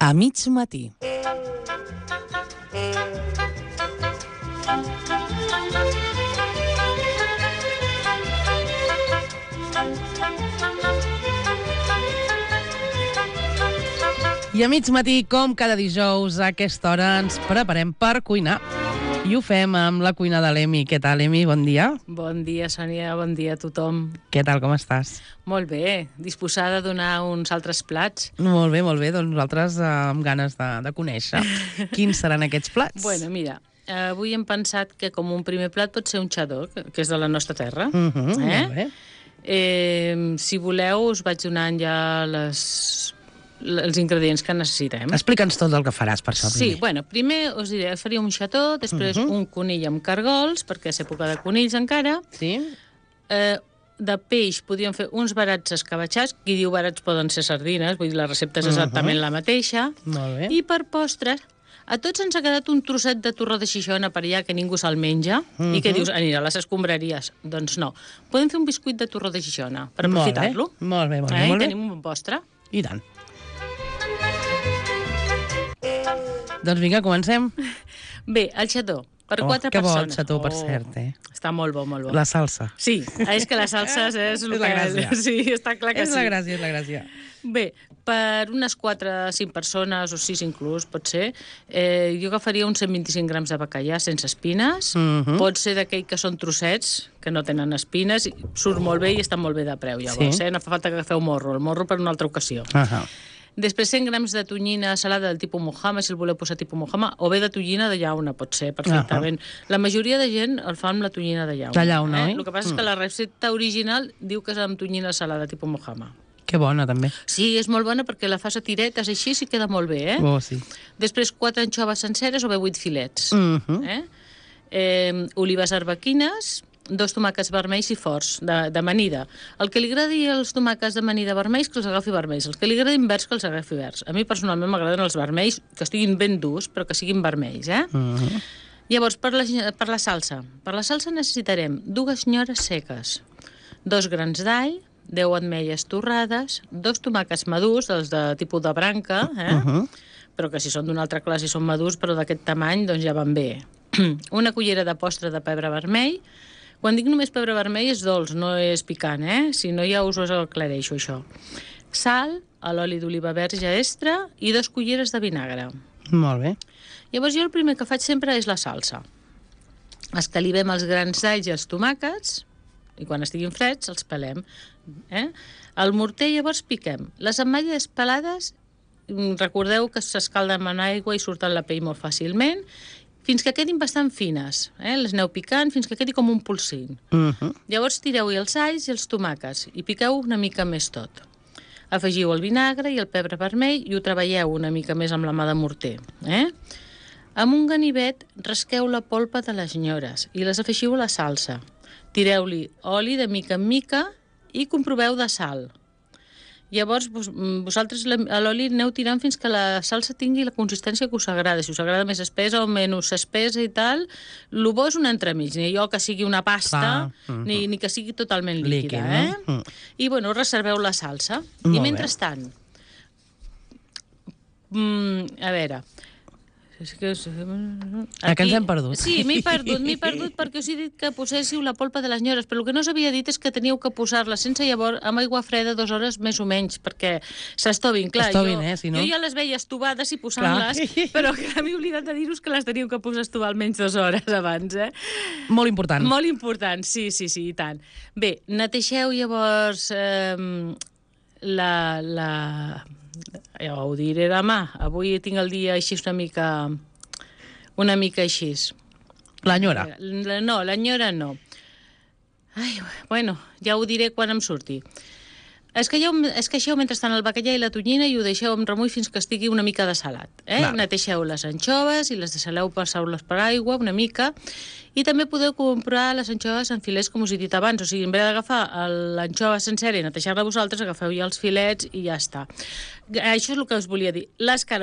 A mig matí. I a mig matí, com cada dijous, a aquesta hora ens preparem per cuinar. I ho fem amb la cuina de l'Emi. Què tal, Emi? Bon dia. Bon dia, Sònia. Bon dia a tothom. Què tal, com estàs? Molt bé. Disposada a donar uns altres plats? Molt bé, molt bé. Doncs nosaltres amb ganes de conèixer quins seran aquests plats. Bueno, mira, avui hem pensat que com un primer plat pot ser un xadó, que és de la nostra terra. Molt bé. Si voleu, us vaig donant ja els ingredients que necessitem. Explica'ns tot el que faràs per això. Sí, bueno, primer us diré, faria un xató, després un conill amb cargols, perquè és època de conills encara. Sí. De peix podríem fer uns barats escabatxats. Qui diu barats poden ser sardines, vull dir, la recepta és exactament la mateixa. Molt bé. I per postres, a tots ens ha quedat un trosset de torró de Xixona per allà que ningú se'l menja. I què dius? Anirà a les escombraries. Doncs no. Podem fer un biscuit de torró de Xixona per aprofitar-lo. Molt bé, molt bé. I tenim un bon postre. I tant. Doncs vinga, comencem. Bé, el xató, per 4 persones. Que bo el xató, per cert, Està molt bo, molt bo. La salsa. Sí, és que la salsa és el la gràcia. Sí, està clar que sí. És la gràcia, és la gràcia. Bé, per unes 4-5 persones, o 6 inclús, pot ser, jo agafaria uns 125 grams de bacallà sense espines. Pot ser d'aquell que són trossets, que no tenen espines, i surt molt bé i està molt bé de preu, llavors. No fa falta que agafeu morro, el morro per una altra ocasió. Després 100 grams de tonyina salada del tipus Mojama, si el voleu posar tipus Mojama, o bé de tonyina de llauna, pot ser, perfectament. La majoria de gent el fa amb la tonyina de llauna. De llauna, oi? El que passa és que la recepta original diu que és amb tonyina salada tipus Mojama. Que bona, també. Sí, és molt bona perquè la fas a tiretes així i queda molt bé, Oh, sí. Després 4 anxoves senceres o bé 8 filets. Olives arbequines, 2 tomàquets vermells i forts, de amanida. El que li agradi els tomàquets d'amanida vermells, que els agafi vermells. El que li agradi verds, que els agafi verds. A mi, personalment, m'agraden els vermells, que estiguin ben durs, però que siguin vermells, Llavors, per la salsa. Per la salsa necessitarem 2 nyores seques, 2 grans d'all, 10 ametlles torrades, 2 tomàquets madurs, els de tipus de branca, però que si són d'una altra classe són madurs, però d'aquest tamany, doncs ja van bé. Una cullera de postre de pebre vermell. Quan dic només pebre vermell és dolç, no és picant, Si no ja us ho aclareixo, això. Sal, l'oli d'oliva verge extra i 2 culleres de vinagre. Molt bé. Llavors jo el primer que faig sempre és la salsa. Escalivem els grans d'alls i els tomàquets i quan estiguin freds els pelem. Al morter llavors piquem. Les ametlles pelades, recordeu que s'escalden en aigua i surten la pell molt fàcilment, fins que quedin bastant fines. Les aneu picant fins que quedi com un polsín. Llavors tireu-hi els alls i els tomàquets i piqueu una mica més tot. Afegiu el vinagre i el pebre vermell i ho treballeu una mica més amb la mà de morter. Amb un ganivet rasqueu la polpa de les nyores i les afegiu a la salsa. Tireu-li oli de mica en mica i comproveu de sal. Llavors, vosaltres a l'oli aneu tirant fins que la salsa tingui la consistència que us agrada. Si us agrada més espessa o menys espessa i tal, el bo és un entremig. Ni allò que sigui una pasta, ni que sigui totalment líquida. I, bueno, reserveu la salsa. I mentrestant, a veure... Que ens hem perdut. Sí, m'he perdut perquè us he dit que poséssiu la polpa de les nyores, però el que no s'havia dit és que teníeu que posar-la sense llavors amb aigua freda 2 hores més o menys, perquè s'estovin. Clar, jo ja les veia estovades i posant-les, però m'he oblidat de dir-vos que les teníeu que posar a estovar almenys 2 hores abans. Molt important. Molt important, sí, i tant. Bé, netegeu llavors ja ho diré demà. Avui tinc el dia així una mica així. L'enyora? No, l'enyora no. Bueno, ja ho diré quan em surti. Esqueixeu mentrestant el bacallà i la tonyina i ho deixeu amb remull fins que estigui una mica desalat. Neteixeu les anxoves i les deixeu passar-les per aigua una mica. I també podeu comprar les anxoves en filets, com us he dit abans. O sigui, en vez d'agafar l'anxova sencera i netejar-la vosaltres, agafeu ja els filets i ja està. Això és el que us volia dir.